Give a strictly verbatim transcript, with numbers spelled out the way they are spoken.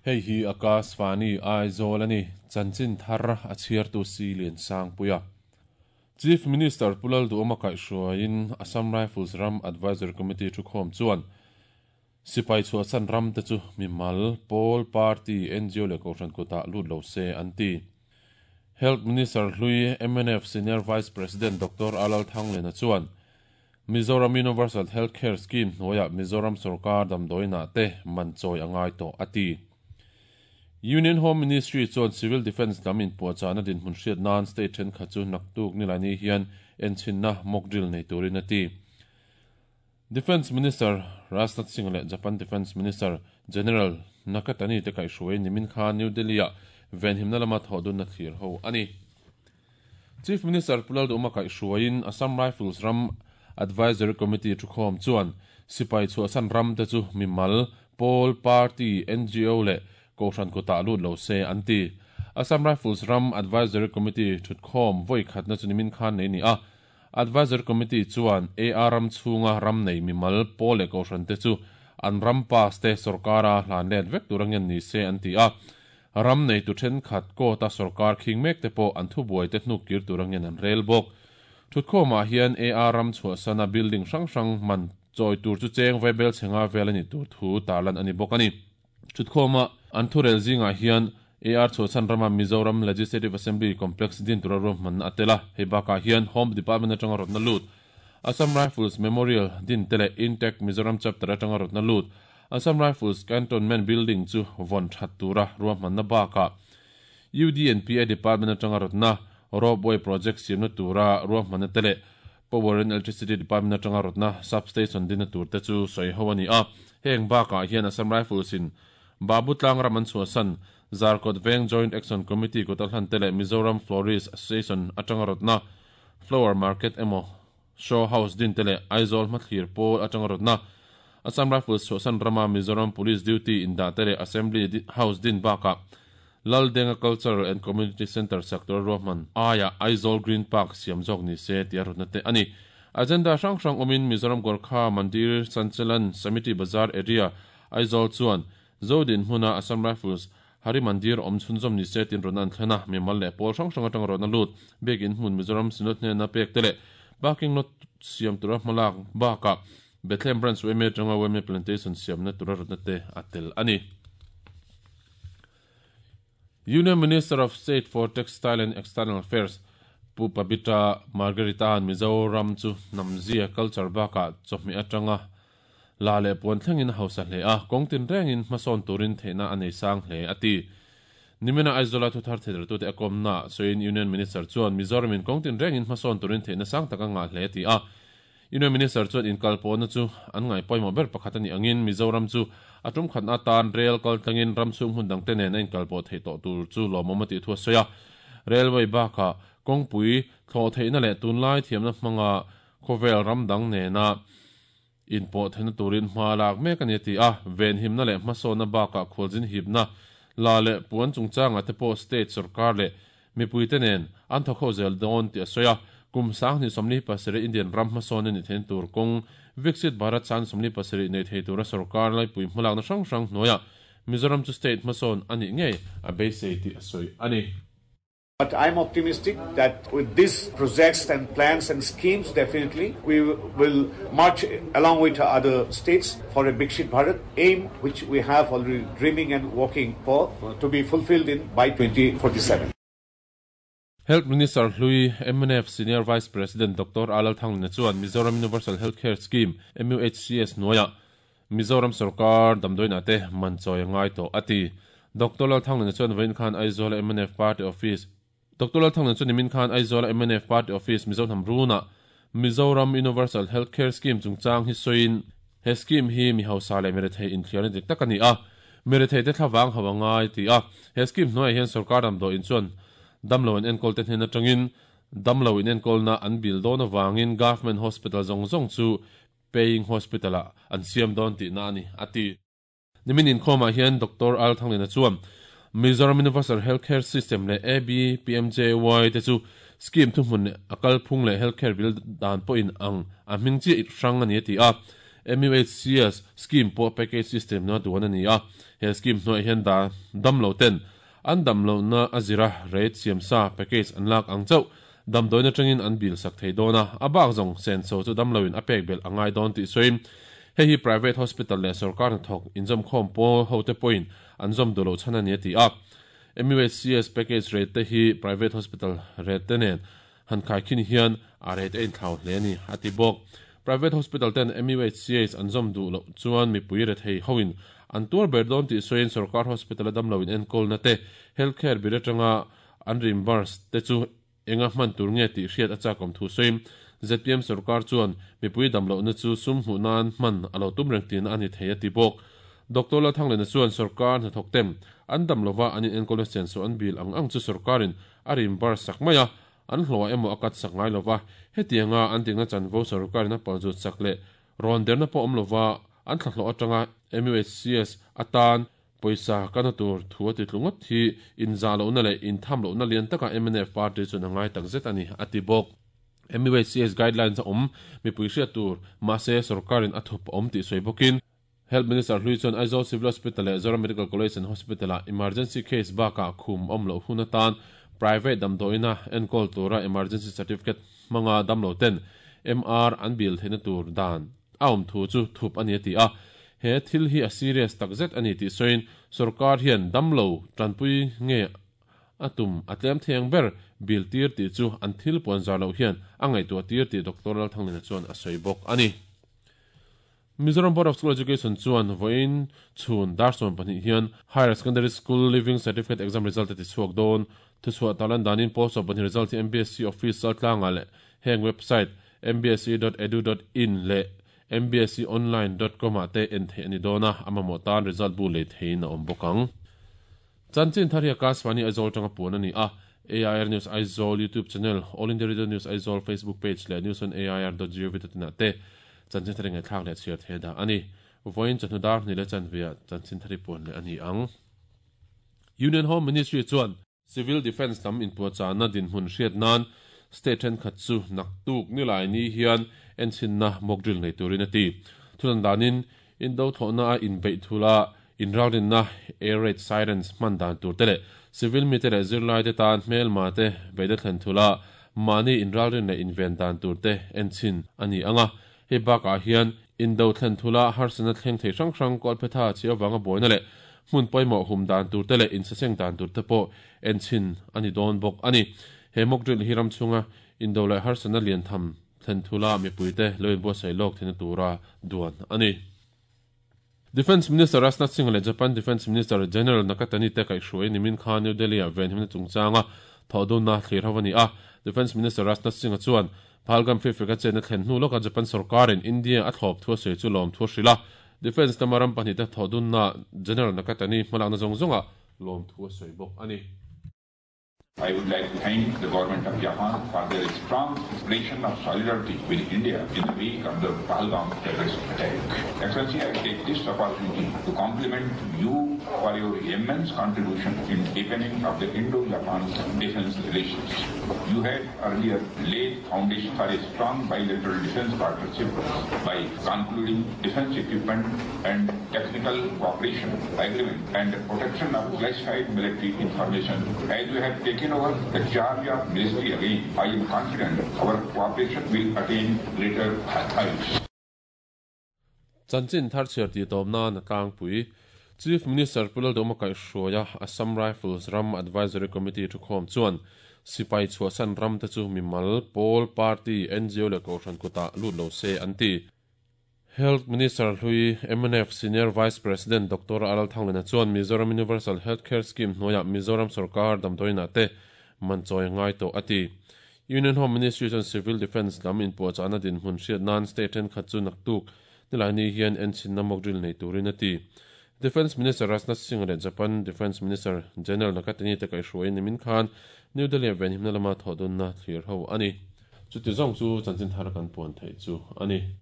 Hei hi Akashvani Aizawl a ni, chanchin thar a chhiartu si lian sang puia. Chief Minister Pu Lalduhoma kaihhruaiin Assam Rifles ram Advisory Committee thukhawm chuan sipai chhuahsan ram te chu mimal pawl party N G O leh kohhran kutah lut lo se an ti. Health Minister hlui M N F Senior Vice President Doctor Alal Thanglena chuan Mizoram Universal Healthcare Scheme hnuaiah Mizoram sorkar damdawiinah te man chawi a ngai tawh a ti. Union Home Ministry chuan Civil Defence lam inpuahchahna dinhmun hriat nan state thenkhat chu naktuk nilaini hian enchinna mock drill nei turin a ti. Defence Minister Rajnath Singh leh Japan Defence Minister General Nakatani te kaihhruai nimin khan New Delhi-ah venhimna lama thawhdunna thlir ho a ni. Chief Minister Pu Lalduhoma kaihhruaiin Assam Rifles ram Advisory Committee thukhawm chuan sipai chhuahsan ram te chu mimal pawl party N G O leh kohhran kutah lut lo se an ti. Assam Rifles ram Advisory Committee thutkhawm voi khatna chu nimin khan nei ni a. Advisory Committee chuan A R ram chhunga ram nei mimal pawl leh kohhran te chu an ram pass te sorkara hlan let vek tur angen ni se an ti a. Ram nei tu thenkhat kota sorkar khing mek te pawh an thubuai te hnuk kir tur angen an rel bawk. Thutkhawmah hian A R ram chhuahsana building hrang hrang man chawi tur chu cheng vaibel chhenga vel ani tur thu tarlan ani bawk ani. Thutkhawma an thurel zingah hian A R chhuahsan rama Mizoram Legislative Assembly Complex din tura ruahman a tel a. Hei bakah hian Home Department atanga rawtna lut Assam Rifles Memorial din te leh Intact Mizoram Chapter atanga rawtna lut Assam Rifles Cantonment Building chu vawn that tura ruahmanna bakah U D and P A Department atanga rawtna Ropeway Project siamna tura ruahmanna te leh Power and Electricity Department atanga rawtna substation dinna tur te chu sawi ho ani a. Heng bakah hian Assam Rifles in Babu Tlang ram an chhuahsan Zarkawt Veng Joint Action Committee kuta hlan te leh Mizoram Florist Association atanga rawtna Flower Market emaw Show House din te leh Aizawl hmathlir pawl atanga rawtna Assam Rifles chhuahsan rama Mizoram Police Duty indah te leh Assembly House din bakah Laldenga Cultural and Community Centre sak tura ruahman aia Aizawl Green Park siam zawk ni se tia rawtna te ani. Agenda hrang hrang awmin Mizoram Gorkha Mandir Sanchalan Samiti Bazar Area Aizawl chuan Zodin hmuna Assam Rifles Hari Mandir awm chhunzawm ni se tin rawtna an thlen a. Mimal leh pawl hrang hrang atanga rawtna lut biakin hmun Mizoram Synod hnena pek te leh parking lot siam tura hmalak bakah Bethlehem Branch Y M A atanga Y M A Plantation siamna tura rawtna te a tel ani. Union Minister of State for Textile and External Affairs Pu Pabitra Margherita an Mizoram chu namzia culture bakah chawhmeh atanga la leh puan thlengin hausa hle a, kawng tin rengin hmasawn turin theihna a nei sang hle a ti. Nimina Aizawl thu thar thei tu te akomna soin Union Minister chuan Mizoramin kawng tin rengin hmasawn turin theihna sang taka nga hle ti a. Union Minister chuan inkalpawhna chu an ngai pawimawh ber pakhat ani angin Mizoram chu atum khatna tan rail kal tlangin ram chhung hmun dang te nen a inkalpawh theih tawh tur chu lawmawm a tih thu a sawi a. Railway bakah kawngpui thlawh theihna leh tunlai thiamna hmanga khawvel ram dang nena inpawh theihna turin hma lak mek ani a ti a. Venhimna leh hmasawnna bakah khualzin hipna la leh puan chungchanga te pawh state sorkar leh mipui te nen an thawk ho zel dawn tih a sawi a. Kum sang hnih sawmli pasarih Indian ram hmasawn ani thein tur kawng Viksit Bharat sang sawmli pasarih nei thei tura sorkar laipui hmalakna hrang hrang hnuaiah Mizoram chu state hmasawn ani ngei a beisei tih a sawi ani. But I'm optimistic that with these projects and plans and schemes, definitely we will march along with other states for a Viksit Bharat aim, which we have already dreaming and working for, to be fulfilled in by twenty forty-seven. Health Minister hlui M N F Senior Vice President Doctor Alal Thanglina chuan Mizoram Universal Healthcare Scheme M U H C S hnuaiah Mizoram sorkar damdawiinah te man chawi ngai tawh a ti. Doctor Lal Thanglina chuan vawiin khan Aizawl M N F Party Office Doctor Lal Thanglina chuan nimin khan Aizawl M N F Party Office Mizoram Runa Mizoram Universal Healthcare Scheme chungchang hi sawiin he scheme hi mi hausa leh mirethei inthliarna dik tak ani a, mirethei te thlavang hawa ngai ti a. He scheme hnuaiah hian sorkar damdawiin chuan damlo an enkawl te hnen atangin damlo in enkawlna an bil dawn awangin government hospital zawng zawng chu paying hospital ah an siam dawn tihna ani a ti. Nimin inkhawmah hian Doctor Al Thanglina chuan Mizoram Universal Healthcare System leh A B P M J Y te chu scheme thuhmun a kalphung leh healthcare bill dan pawhin ang a hming chi hrang ani a ti a. M U H C S scheme pawh package system na duan ani a he scheme hnuai hian da damlo ten an damlo na azira rate siam sa package an lak ang chau damdoina tangin an bil sak thei dona abak zong sen so chu damloin a pek bel angai don ti soim he hi private hospital le sarkar thok injom khom po hote point anjom dulo chana ni ti a M U H C S package rate te hi private hospital rate te nen han khai khin hian a rate ein thau hle ni ati bok private hospital ten M U H C S anjom du lo chuan mi pui re thei hoin an tur ber don ti soin sarkar hospital damlo in enkol na te healthcare bi tanga an reimburse te chu enga man tur nge ti hriat acha kom thu soim Z P M sarkar chuan mi pui damlo na chu sum hu nan man alo tum reng tin ani theia ti bok Doctor La Thang le chuan sarkar na thok tem an damlova ani enkol na sen so an bil ang ang chu sarkarin a reimburse sak maya an hlowa emo akat sak ngai lova hetianga an tingna chanvo sarkar na palju sakle ron derna po omlova an thlahlo atanga M U H C S atan poisa kana tur thua ti tlungot hi in zalo na le in thamlo na lian taka M N F party chu na ngai tak zet ani ati bok M U H C S guidelines om mi puisia tur ma se sarkarin athup om ti soibokin Health Minister Hlui chuan Aizawl Civil Hospital le Zoram Medical College and Hospital a emergency case baka khum omlo hunatan private damdoina enkol tura emergency certificate manga damlo ten M R an bil theina tur dan aum thu chu thup ani ti a he thil hi a serious takzet ani ti soin sarkar hian damlo tanpui nge atum atlem theng ber bil tir ti chu an thil pon zalo hian angai tu tir ti Doctor Lal Thanglena chuan a soibok ani Mizoram Board of School Education chuan voin chhun darson pahnih hian Higher Secondary School Leaving Certificate exam result ti chuak don thu chhuah talan danin post of pahnih result hi M B S C office tlanga le heng website m b s c dot edu dot in le m b s c online dot com a te en the ani dona amamo tan result bu le thein a om bokang chanchin tharia kaswani Aizawl tanga pun ani a A I R News Aizawl YouTube channel All India Radio News Aizawl Facebook page le news on A I R dot gov dot in te chanchin thari ngai thlak le chhiar the da ani voin chanu dar ni le chanvia chanchin thari pun le ani ang Union Home Ministry chuan Civil Defense lam in puachana din hun hriat nan state then khat chu naktuk ni lai ni hian enchin na mock drill nei turin ati thulan danin indo thona a in bei thula in rawrin na air raid sirens man dan tur tele civil mi te zirlai te tan hmel ma te beida thlen thula mani in rawrin le inven dan tur te enchin ani anga he baka hian indo thlen thula harsana thleng thei hrang hrang kol phetha chi awanga boina le hmun poimo hum dan tur te le in saseng dan tur te po enchin ani don bok ani he mock drill hi ram chunga indo lai harsana lian tham thlen thula mi puite loin bo sei lok thina tura duan ani Defense Minister Rajnath Singh le Japan Defense Minister General Nakatani te kai hruai nimin khan New Delhi a ven himna chungchanga thodun na thlir hawani a Defense Minister Rajnath Singh chuan Phalgam Fifika chen thlen hnu loka Japan sarkarin India a thlop thua sei chu lom thua hrila Defense tamaram pahnih te thodun na General Nakatani hmalakna zawng zawnga lom thua sei bawk ani I would like to thank the government of Japan for their strong expression of solidarity with India in the wake of the Pahalgam terrorist attack. Excellency, I take this opportunity to compliment you for your immense contribution in deepening of the Indo-Japan defense relations. You had earlier laid foundation for a strong bilateral defense partnership by concluding defense equipment and technical cooperation agreement and protection of classified military information. As we have taken over the charge of ministry again, I am confident our cooperation will attain greater heights. Chanchin thar chhiar ti tawmna na tlangpui Chief Minister Pulal Doma kai hruaia Assam Rifles Ram Advisory Committee thu khawm chuan sipai chhuahsan ram te chu mimal Pawl Party N G O le kohhran kuta lut lo se an ti Health Minister Hlui M N F Senior Vice President Doctor Aral Thanglena chuan Mizoram Universal Healthcare Scheme hnuaia Mizoram sarkar damdawiina te manchawi ngai tawh ati Union Home Ministry chuan Civil Defence lam in puachana din hmun hriat nan state then khat chu naktuk nilai hian enchin na mock drill nei turin ati Defense Minister Rajnath Singh le Japan Defense Minister General Nakatani te kai hruai nimin khan New Delhi ven himna lama thodun na thlir ho ani chu ti zawng chu chanchin thar kan puan thei chu ani.